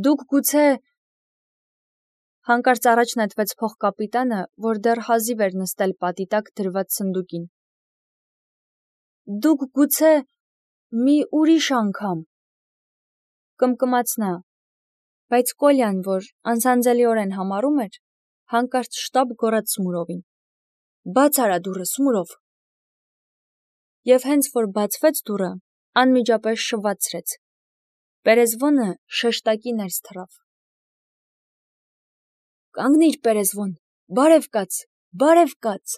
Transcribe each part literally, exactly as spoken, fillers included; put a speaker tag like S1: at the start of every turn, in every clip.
S1: Դուք գուցե… Հանկարծ առաջ նետվեց փոխկապիտանը, որ դեռ հազիվ էր նստել պատի տակ դրված սնդուկին։ Դուք գուցե… մի ուրիշ անգամ… Կմկմաց նա, բայց Կոլյան, որ անսանձելիորեն համառում էր, հանկարծ շտապ գոռաց Սմուրովին. Բաց արա դուռը, Սմուրով… Եվ հենց որ բացվեց դուռը, անմիջապես շվացրեց։ Պերեզվոնը շեշտակի ներս թռավ։ Կանգնիր, Պերեզվոն, բարև կաց, բարև կաց…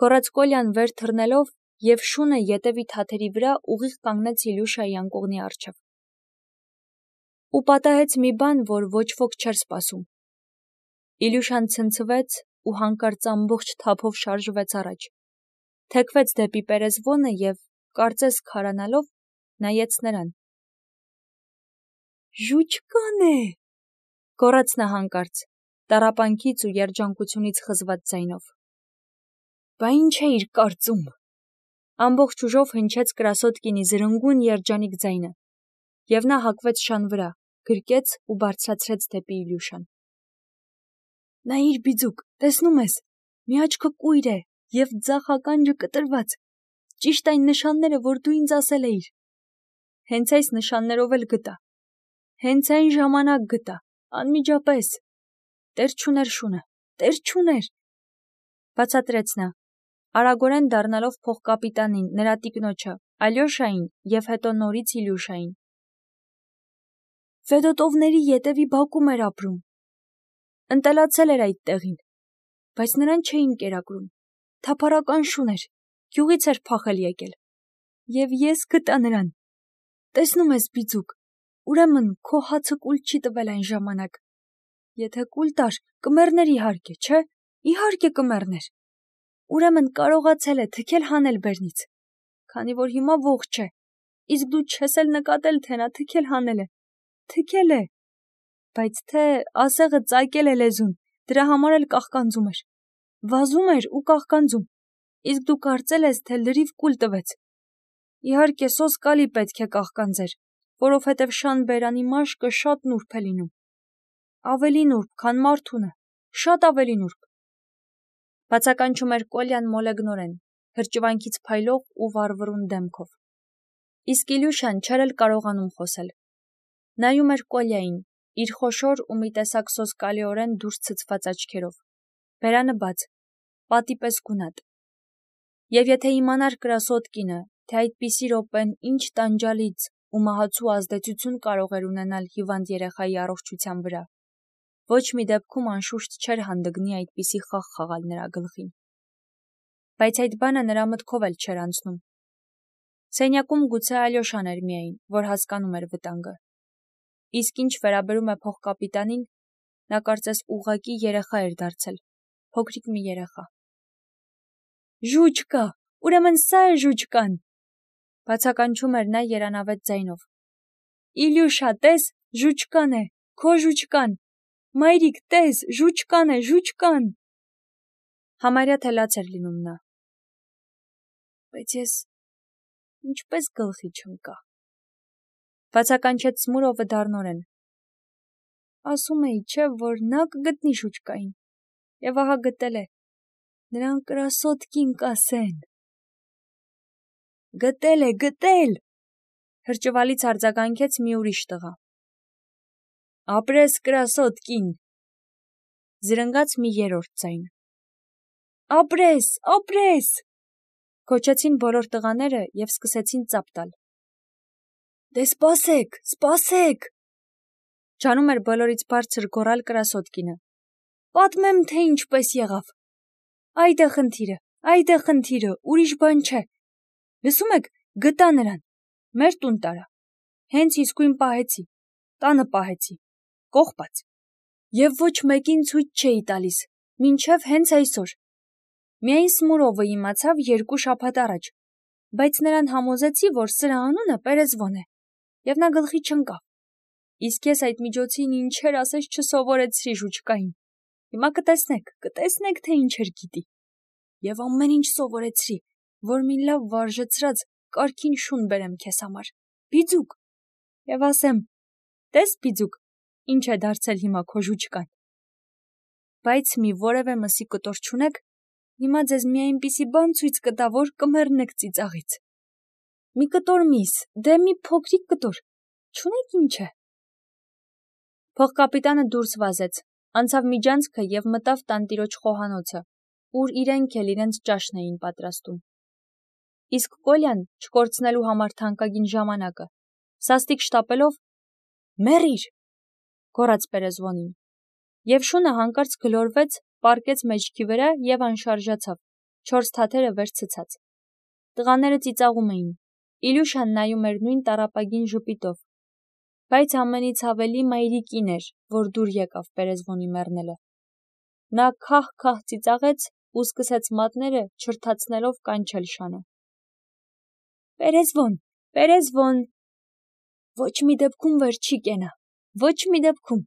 S1: Գոռաց Կոլյան վեր թռնելով և շունը ետևի թաթերի վրա ուղիղ կանգնեց Իլյուշայի անկողնի առջև։ Ու պատահեց մի բան, որ ոչ ոք չէր սպասում։ Իլյուշան ցնցվեց ու հանկարծ ամբողջ թափով շարժվեց առաջ, թեքվեց դեպի Պերեզվոնը և, կարծես քարանալով, նայեց նրան։ Ժուչկան է… Գոռաց նա հանկարծ, տառապանքից ու երջանկությունից խզված ձայնով։ Բա ինչ էիր կարծում… Ամբողջ ուժով հնչեց Կրասոտկինի զրնգուն երջանիկ ձայնը, և նա հակվեց շան վրա, գրկեց ու բարձրացրեց դեպի Իլյուշան։ Նայիր, բիձուկ, տեսնում ես, մի աչքը կույր է և ձախ ականջը կտրված, ճիշտ այն նշանները, որ դու ինձ ասել էիր։ Հենց այս նշաններով էլ գտա։ Հենց այն ժամանակ գտա, անմիջապես… Տեր չուներ շունը, տեր չուներ… Բացատրեց նա, արագորեն դառնալով փոխկապիտանին, նրա տիկնոջը, Ալյոշային և հետո նորից Իլյուշային։ Ֆեդոտովների ետևի բակում էր ապրում։ Ընտելացել էր այդ տեղին, բայց նրան չէին կերակրում, թափառական շուն էր, գյուղից էր փախել եկել։ Եվ ես գտա նրան… Տեսնում ես, բիձուկ, ուրեմն քո հացը կուլ չի տվել այն ժամանակ… Եթե կուլ տար, կմեռներ իհարկե, չէ՞, իհարկե կմեռներ… Ուրեմն կարողացել է թքել հանել բերնից, քանի որ հիմա ողջ է, իսկ դու չես էլ նկատել, թե նա թքել հանել է… Թքել է… Բայց թե ասեղը ծակել է լեզուն, դրա համար էլ կաղկանձում էր… Վազում էր ու կաղկանձում, իսկ դու կարծել ես, թե լրիվ կուլ տվեց… Իհարկե սոսկալի պետք է կաղկանձեր, որովհետև շան բերանի մաշկը շատ նուրբ է լինում… Ավելի նուրբ, քան մարդունը, շատ ավելի նուրբ… Բացականչում էր Կոլյան մոլեգնորեն, հրճվանքից փայլող ու վառվռուն դեմքով։ Իսկ Իլյուշան չէր էլ կարողանում խոսել։ Նայում էր Կոլյային, իր խոշոր ու մի տեսակ սոսկալիորեն դուրս ցցված աչքերով, բերանը բաց, պատի պես գունատ։ Եվ եթե իմանար Կրասոտկինը, թե այդպիսի րոպեն ինչ տանջալից ու մահացու ազդեցություն կարող էր ունենալ հիվանդ երեխայի առողջության վրա, ոչ մի դեպքում անշուշտ չէր հանդգնի այդպիսի խաղ խաղալ նրա գլխին։ Բայց այդ բանը նրա մտքով էլ չէր անցնում։ Սենյակում գուցե Ալյոշան էր միայն, որ հասկանում էր վտանգը։ Իսկ ինչ վերաբերում է փոխկապիտանին, նա կարծես ուղղակի երեխա էր դարձել, փոքրիկ մի երեխա։ Ժուչկա, ուրեմն սա է ժուչկան… Բացականչում էր նա երանավետ ձայնով։ Իլյուշա, տես, ժուչկան է, քո ժուչկան… Մայրիկ, տես, ժուչկան է, ժուչկան… Համարյա թե լաց էր լինում նա։ Բայց ես ինչպես գլխի չընկա… Բացականչեց Սմուրովը դառնորեն։ Ասում էի, չէ, որ նա կգտնի ժուչկային… Եվ ահա գտել է… Նրան Կրասոտկին կասեն… Գտել է, գտել… Հրճվալից արձագանքեց մի ուրիշ տղա։ Ապրես Կրասոտկին… Զրնգաց մի երրորդ ձայն։ Ապրես, ապրես… Գոչեցին բոլոր տղաները և սկսեցին ծափ տալ։ Դե սպասեք, սպասեք… Ջանում էր բոլորից բարձր գոռալ Կրասոտկինը։ Պատմեմ, թե ինչպես եղավ… Այդ է խնդիրը, այդ է խնդիրը, ուրիշ բան չէ… Լսում եք, գտա նրան… Մեր տուն տարա… Հենց իսկույն պահեցի… Տանը պահեցի… Կողպած… Եվ ոչ մեկին ցույց չէի տալիս, մինչև հենց այսօր… Միայն Սմուրովը իմացավ երկու շաբաթ առաջ, բայց նրան համոզեցի, որ սրա անունը Պերեզվոն է, և նա գլխի չընկավ… Իսկ ես այդ միջոցին ինչեր ասես չսովորեցրի ժուչկային… Հիմա կտեսնեք, կտեսնեք, թե ինչեր գիտի… Եվ ամեն ինչ սովորեցրի, որ մի լավ վարժեցրած, կարգին շուն բերեմ քեզ համար, բիձուկ… Եվ ասեմ, տես, բիձուկ, Ինչ է դարձել հիմա քո ժուճկան։ Բայց մի որևէ մսի կտոր չունեք, հիմա ձեզ մի այնպիսի բան ցույց կտա, որ կմեռնեք ծիծաղից։ Մի կտոր միս, դե մի փոքրիկ կտոր, չունեք ինչ է։ Փողկապիտանը դուրս վազեց, անցավ միջանցքը եւ մտավ տանտիրոջ խոհանոցը, ուր իրենք էլ իրենց ճաշն էին պատրաստում։ Իսկ Կոլյան, չկորցնելու համար թանկագին ժամանակը, սաստիկ շտապելով «Մեռիր», գոռաց Պերեզվոնին, եւ շունը հանկարծ գլորվեց, պառկեց մեջքի վրա եւ անշարժացավ, չորս թաթերը վեր ցցած։ Տղաները ծիծաղում էին, Իլյուշան նայում էր նույն տառապագին ժպիտով, բայց ամենից ավելի մայրիկին էր, որ դուր եկավ Պերեզվոնի մեռնելը։ Նա քահ-քահ ծիծաղեց ու սկսեց մատները չրթացնելով կանչել շանը։ Պերեզվոն, Պերեզվոն, ոչ մի դեպքում վեր չի կենա, ոչ մի դեպքում,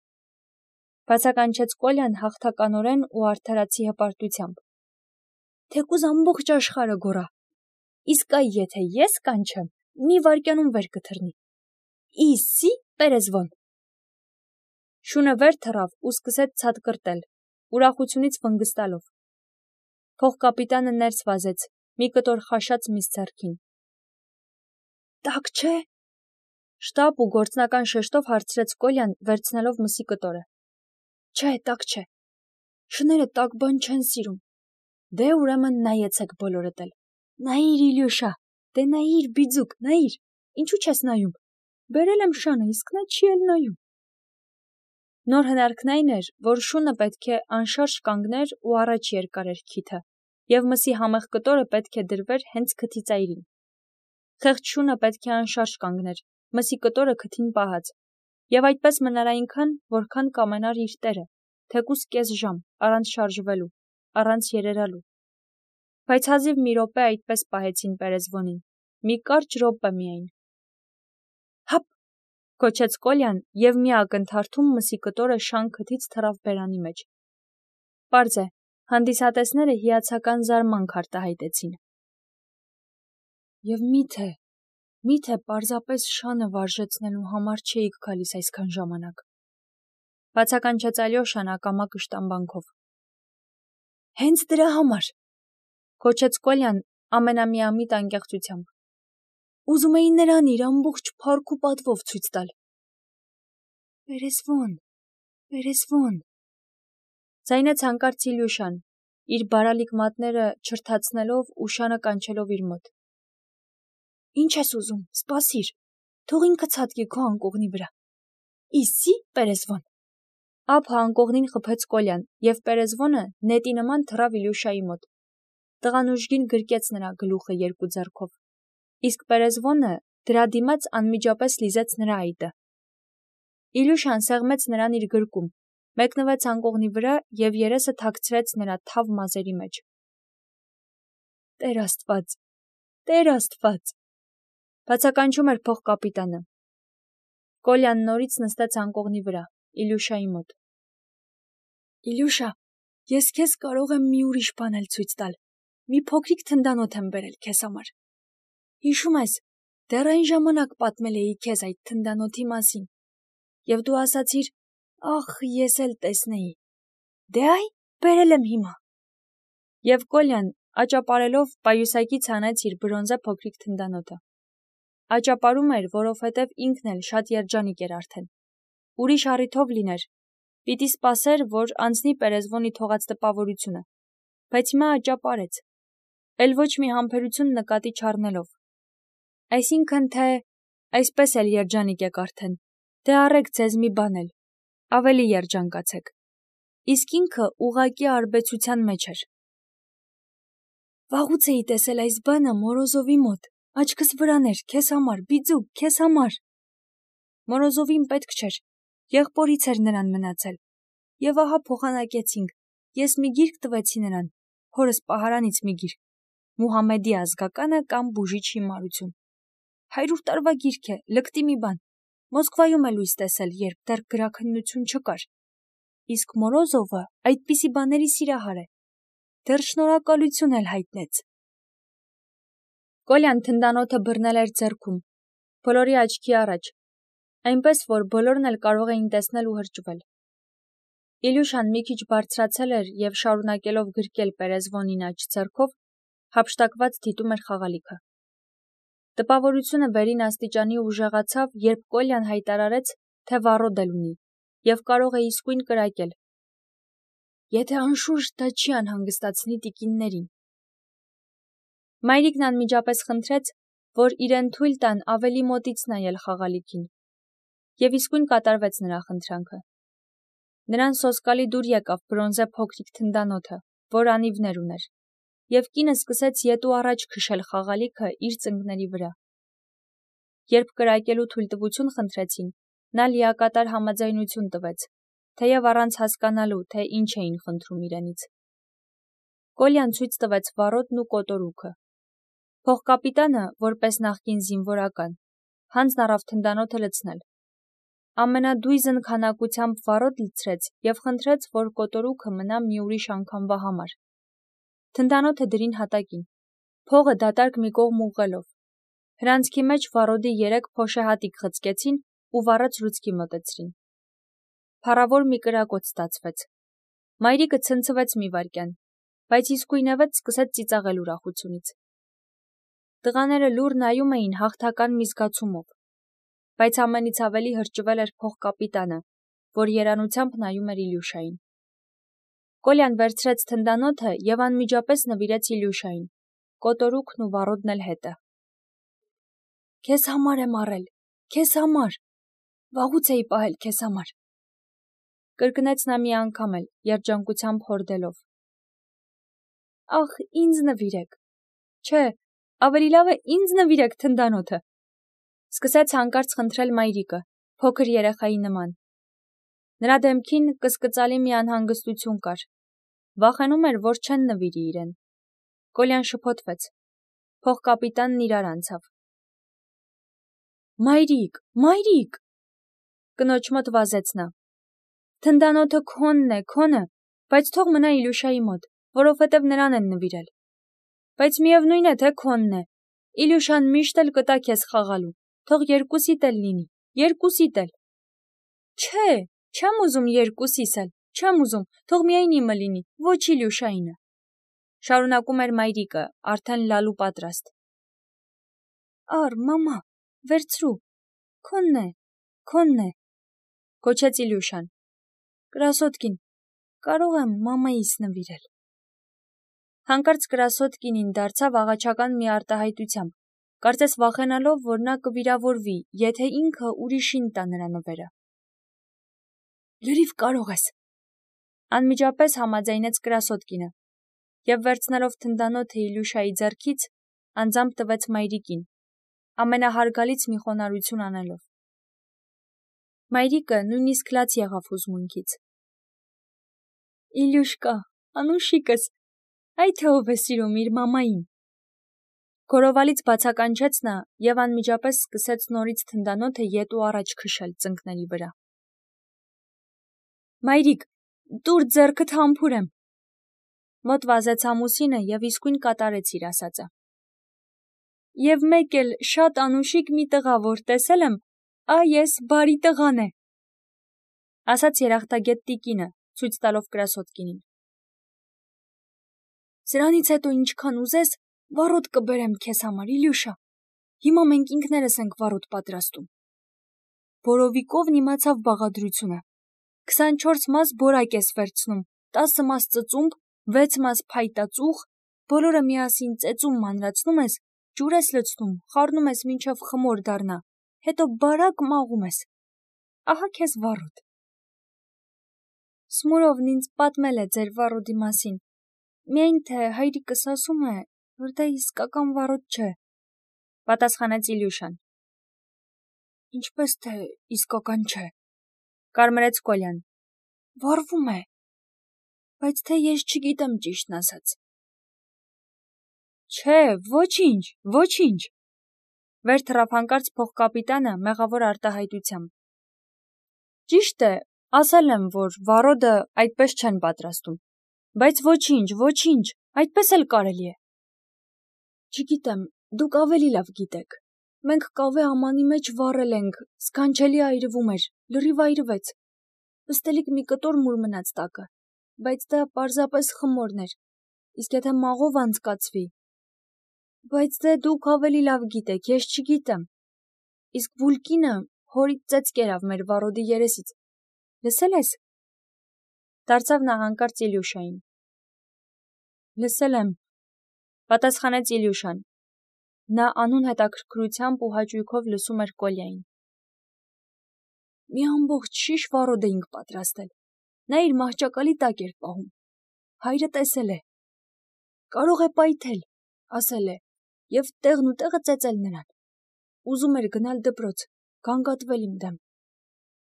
S1: բացականչեց Կոլյան հաղթականորեն ու արդարացի հպարտությամբ։ Թեկուզ ամբողջ աշխարհը գոռա, իսկ այ եթե ես կանչեմ, մի վայրկյանում վեր կթռնի։ Իսի Պերեզվոն։ Շունը վեր թռավ ու սկսեց ցատկրտել, ուրախությունից վնգստալով։ Փողկապիտանը ներս վազեց, մի կտոր խաշած միս ձեռքին։ Տակ չէ։ Շտապ ու գործնական շեշտով հարցրեց Կոլյան, վերցնելով մսի կտորը։ Չէ, տակ չէ։ Շները տակ բան չեն սիրում։ Դե ուրեմն նայեցեք բոլորդ էլ։ Նայիր, Իլյուշա, դե նայիր, բիձուկ, նայիր, ինչու չես նայում։ Բերել եմ շանը, իսկ նա չի էլ նայում։ Նոր հնարքն այն էր, որ շունը պետք է անշարժ կանգներ ու առաջ երկարեր քիթը, եւ մսի համեղ կտորը պետք է դրվեր հենց քթի ծայրին։ Խեղճ շունը պետք է անշարժ կանգներ, մսի կտորը քթին պահած, եւ այդպես մնար այնքան, որքան կամենար իր տերը, թեկուզ կես ժամ, առանց շարժվելու, առանց երերալու։ Բայց հազիվ մի րոպե այդպես պահեցին Պերեզվոնին, մի կարճ րոպե միայն։ Հապ, կոչեց Կոլյան եւ մի ակնթարթում մսի կտորը շան քթից թռավ բերանի մեջ։ Պարզ է, հանդիսատեսները հիացական զարմանք արտահայտեցին։ Եվ միթե, միթե պարզապես շանը վարժեցնելու համար չէիք գալիս այսքան ժամանակ։ Բացականչեց Ալյոշան ակամա կշտամբանքով։ Հենց դրա համար, կոչեց Կոլյան ամենամիամիտ անկեղծությամբ։ Ուզում էի նրան իր ամբողջ փառք ու պատվով ցույց տալ։ Պերեզվոն, Պերեզվոն, ձայնեց հանկարծ Իլյուշան, իր բարալիկ մատները չրթացնելով ու շանը կանչելով իր մոտ։ Ինչ ես ուզում, սպասիր, թող ինքը ցատկի քո անկողնի վրա։ Իսի Պերեզվոն։ Ափ անկողնին խփեց Կոլյան, եւ Պերեզվոնը նետի նման թռավ Իլյուշայի մոտ։ Տղան ուժգին գրկեց նրա գլուխը երկու ձեռքով, իսկ Պերեզվոնը դրա դիմաց անմիջապես լիզեց նրա այտը։ Իլյուշան սեղմեց նրան իր գրկում, մեկնվեց անկողնի վրա եւ երեսը թաքցրեց նրա թավ մազերի մեջ։ Տեր Աստված, Տեր Աստված, բացականչում էր փողկապիտանը։ Կոլյան նորից նստեց անկողնի վրա, Իլյուշայի մոտ։ Իլյուշա, ես քեզ կարող եմ մի ուրիշ բան էլ ցույց տալ։ Մի փոքրիկ թնդանոթ եմ բերել քեզ համար։ Հիշում ես, դեռ այն ժամանակ պատմել էի քեզ այդ թնդանոթի մասին։ Եվ դու ասացիր, ախ, ես էլ տեսնեի։ Դե այ, բերել եմ հիմա։ Եվ Կոլյան, աճապարելով, պայուսակից հանեց իր բրոնզե փոքրիկ թնդանոթը։ Աճապարում էր, որովհետև ինքն էլ շատ երջանիկ էր արդեն։ Ուրիշ առիթով լիներ, պիտի սպասեր, որ անցնի Պերեզվոնի թողած տպավորությունը, բայց հիմա աճապարեց, էլ ոչ մի համբերություն նկատի չառնելով։ Այսինքն թե այսպես էլ երջանիկ եք արդեն, դե առեք ձեզ մի բան էլ, ավելի երջանկացեք։ Իսկ ինքը ուղղակի արբեցության մեջ էր։ Վաղուց էի տեսել այս բանը Մորոզովի մոտ, աչքս վրան էր, քեզ համար, բիձուկ, քեզ համար։ Մորոզովին պետք չէր, եղբորից էր նրան մնացել։ Եվ ահա փոխանակեցինք, ես մի գիրք տվեցի նրան, հորս պահարանից մի գիրք, Մուհամեդի ազգականը կամ բուժիչ հիմարություն։ Հարյուր տարվա գիրք է, լկտի մի բան, Մոսկվայում է լույս տեսել, երբ դեռ գրաքննություն չկար։ Իսկ Մորոզովը այդպիսի բաների սիրահար է, դեռ շնորհակալություն էլ հայտնեց։ Կոլյան թնդանոթը բռնել էր ձեռքում, բոլորի աչքի առաջ, այնպես, որ բոլորն էլ կարող էին տեսնել ու հրճվել։ Իլյուշան մի քիչ բարձրացել էր և շարունակելով գրկել Պերեզվոնին աջ ձեռքով, հափշտակված դիտում էր խաղալիքը։ Տպավորությունը վերին աստիճանի ուժեղացավ, երբ Կոլյան հայտարարեց, թե վառոդ էլ ունի, և կարող է իսկույն կրակել։ Եթե անշուշտ դա չի անհանգստացնի տիկիններին։ Մայրիկն անմիջապես խնդրեց, որ իրեն թույլ տան ավելի մոտից նայել խաղալիքին, և իսկույն կատարվեց նրա խնդրանքը։ Նրան սոսկալի դուր եկավ բրոնզե փոքրիկ թնդանոթը, որ անիվներ ուներ, և կինը սկսեց ետ ու առաջ քշել խաղալիքը իր ծնկների վրա։ Երբ կրակելու թույլտվություն խնդրեցին, նա լիակատար համաձայնություն տվեց, թեև առանց հասկանալու, թե ինչ էին խնդրում իրենից։ Կոլյան ցույց տվեց վառոդն ու կոտորուքը։ Փոխկապիտանը, որպես նախկին զինվորական, հանձն առավ թնդանոթը լցնել։ Ամենադույզն քանակությամբ վառոդ լցրեց և խնդրեց, որ կոտորուքը մնա մի ուրիշ անգամվա համար։ Թնդանոթը դրին հատակին, փողը դատարկ մի կողմ ուղղելով։ Հրանցքի մեջ վառոդի երեք փոշեհատիկ խցկեցին ու վառած լուցկի մոտեցրին։ Փառավոր մի կրակոտ ստացվեց։ Մայրիկը ցնցվեց մի վայրկյան, բայց իսկույնևեթ սկսեց ծիծաղել ուրախությունից։ Տղաները լուռ նայում էին հաղթական մի զգացումով, բայց ամենից ավելի հրճվել էր փոխկապիտանը, որ երանությամբ նայում էր Իլյուշային։ Կոլյան վերցրեց թնդանոթը և անմիջապես նվիրեց Իլյուշային, կոտորուքն ու վառոդն էլ հետը։ Քեզ համար եմ առել, քեզ համար, վաղուց էի պահել քեզ համար, կրկնեց նա մի անգամ էլ, երջանկությամբ հորդելով։ Ախ, ինձ նվիրեք, չէ, ավելի լավ է ինձ նվիրեք թնդանոթը, սկսեց հանկարծ խնդրել մայրիկը, փոքր երեխայի նման։ Նրա դեմքին կսկծալի մի անհանգստություն կար, վախենում էր, որ չեն նվիրի իրեն։ Կոլյան շփոթվեց, փոխկապիտանն իրար անցավ։ Մայրիկ, մայրիկ, կնոջ մոտ վազեց նա։ Թնդանոթը քոնն է, քոնը, բայց թող մնա Իլյուշայի մոտ, որովհետև նրան են նվիրել։ Բայց միևնույն է, թե քոնն է, Իլյուշան միշտ էլ կտա քեզ խաղալու, թող երկուսիդ էլ լինի, երկուսիդ էլ։ Չէ, չեմ ուզում երկուսիս էլ, չեմ ուզում, թող միայն իմը լինի, ոչ Իլյուշայինը, շարունակում էր մայրիկը, արդեն լալու պատրաստ։ Ար, մամա, վերցրու, քոնն է, քոնն է, գոչեց Իլյուշան։ Կրասոդկին, կարող եմ մամայիս նվիրել։ Հանկարծ Կրասոդկինին դարձավ աղաչական մի արտահայտությամբ, կարծես վախենալով, որ նա կվիրավորվի, եթե ինքը ուրիշին տա նրա նվերը։ Լրիվ կարող ես, անմիջապես համաձայնեց Կրասոդկինը, և վերցնելով թնդանոթը Իլյուշայի ձեռքից, անձամբ տվեց մայրիկին, ամենահարգալից մի խոնարհություն անելով։ Մայրիկը նույնիսկ լաց եղավ հուզմունքից։ Իլյուշկա, անուշիկս, այ թե ով է սիրում իր մամային։ Գորովալից բացականչեց նա և անմիջապես սկսեց նորից թնդանոթը ետ ու առաջ քշել ծնկների վրա։ Մայրիկ, տուր ձեռքդ համբուրեմ։ Մոտ վազեց ամուսինը և իսկույն կատարեց իր ասածը։ Եվ մեկ էլ շատ անուշիկ մի տղա, որ տեսել եմ, այ էս բարի տղան է, ասաց երախտագետ տիկինը, ցույց տալով Կրասոդկինին։ Սրանից հետո ինչքան ուզես, վառոդ կբերեմ քեզ համար, Իլյուշա, հիմա մենք ինքներս ենք վառոդ պատրաստում։ Բորովիկովն իմացավ բաղադրությունը, քսանչորս մաս բորակ ես վերցնում, տասը մաս ծծումբ, վեց մաս փայտածուխ, բոլորը միասին ծեծում մանրացնում ես, ջուր ես լցնում, խառնում ես մինչև խմոր դառնա, հետո բարակ մաղում ես։ Ահա քեզ վառոդ։ Սմուրովն ինձ պատմել է ձեր վառոդի մասին, միայն թե հայրիկս ասում է, որ դա իսկական վառոդ չէ, պատասխանեց Իլյուշան։ Ինչպես թե իսկական չէ, կարմրեց Կոլյան, վառվում է, բայց թե ես չգիտեմ ճիշտն ասած։ Չէ, ոչինչ, ոչինչ, վեր թռավ հանկարծ փոխկապիտանը մեղավոր արտահայտությամբ։ Ճիշտ է, ասել եմ, որ վառոդը այդպես չեն պատրաստում, բայց ոչինչ, ոչինչ, այդպես էլ կարելի է։ Չգիտեմ, դուք ավելի լավ գիտեք, Մենք կավե ամանի մեջ վառել ենք, սքանչելի այրվում էր, լրիվ այրվեց։ Ըստելիք մի կտոր մուր մնաց տակը, բայց դա պարզապես խմորն էր, իսկ եթե մաղով անցկացվի… Բայց դե դուք ավելի լավ գիտեք, ես չգիտեմ։ Իսկ Վուլկինը հորից ծեծ կերավ մեր վառոդի երեսից։ Լսել ես։ Դարձավ նա հանկարծ Իլյուշային։ Լսել եմ, պատասխանեց Իլյուշան։ Նա անուն հետաքրքրությամբ ու հաճույքով լսում էր Կոլյային։ Մի ամբողջ շիշ վառոդ էինք պատրաստել։ Նա իր մահճակալի տակ էր պահում։ Հայրը տեսել է։ Կարող է պայթել, ասել է, և տեղն ու տեղը ծեծել նրան։ Ուզում էր գնալ դպրոց, գանգատվել իմ դեմ։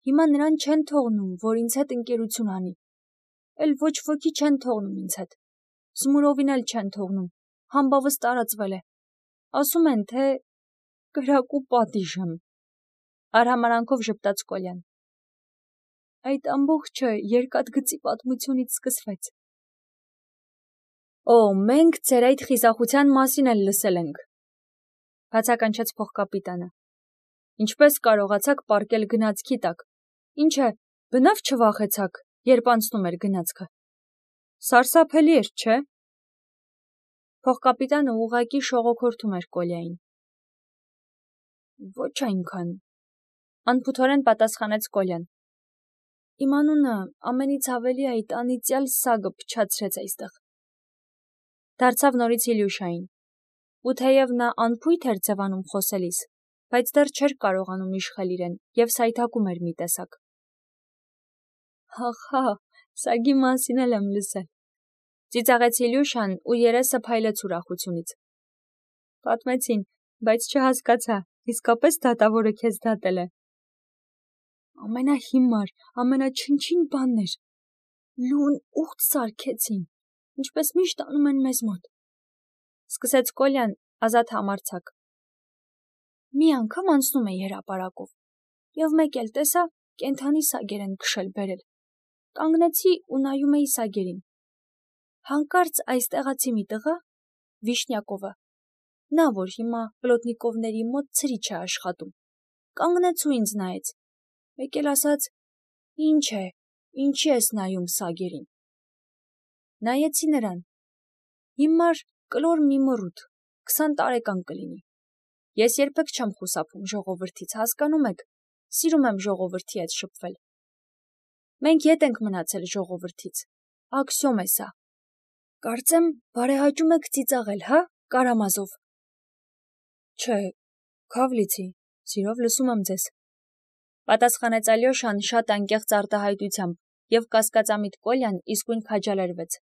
S1: Հիմա նրան չեն թողնում, որ ինձ հետ ընկերություն անի։ Էլ ոչ ոքի չեն թողնում ինձ հետ։ Զմուրովին էլ չեն թողնում, համբավս տարածվել է։ Ասում են, թե կրակու պատիժ եմ։ Արհամարանքով ժպտաց Կոլյան։ Այդ ամբողջը երկաթգծի պատմությունից սկսվեց։ Օ, մենք ձեր այդ խիզախության մասին էլ լսել ենք, բացականչեց փոխկապիտանը։ Ինչպես կարողացաք պառկել գնացքի տակ։ Ինչ է, բնավ չվախեցաք, երբ անցնում էր գնացքը։ Սարսափելի էր, չէ՞։ Փոխկապիտանը ուղղակի շողոքորթում էր Կոլյային։ Ոչ այնքան, անփութորեն պատասխանեց Կոլյան։ Իմ անունը ամենից ավելի այդ անիծյալ սագը փչացրեց այստեղ։ Դարձավ նորից Իլյուշային։ Ու թեև նա անփույթ էր ձևանում խոսելիս, բայց դեռ չէր կարողանում իշխել իրեն և սայթաքում էր մի տեսակ։ Հախա, սագի մասին էլ եմ լսել։ Ծիծաղեց Իլյուշան ու երեսը փայլեց ուրախությունից։ Պատմեցին, բայց չհասկացա, իսկապես դատավորը քեզ դատել է։ Ամենահիմար, ամենաչնչին բանն էր։ Լուն ուխտ սարքեցին, ինչպես միշտ անում են մեզ մոտ։ Սկսեց Կոլյան ազատ համարձակ։ Մի անգամ անցնում էի հրապարակով, և մեկ էլ տեսա կենդանի սագեր են քշել բերել։ Կանգնեցի ու նայում էի սագերին։ Հանկարծ այս տեղացի մի տղա, Վիշնյակովը, նա որ հիմա Պլոտնիկովների մոտ ցրիչ է աշխատում, կանգնեց ու ինձ նայեց։ Մեկ էլ ասաց. Ինչ է, ինչի ես նայում սագերին։ Նայեցի նրան։ Հիմար կլոր մի մռութ, քսան տարեկան կլինի։ Ես երբեք չեմ խուսափում ժողովրդից, հասկանում եք, սիրում եմ ժողովրդի հետ շփվել։ Մենք ետ ենք մնացել ժողովրդից, աքսիոմ է սա։ Կարծեմ, բարեհաճում եք ծիծաղել, հա, Կարամազով։ Չէ, Քավլիցի, սիրով լսում եմ ձեզ։ Պատասխանեց Ալյոշան շատ անկեղծ արտահայտությամբ, և կասկածամիտ Կոլյան իսկույն քաջալերվեց։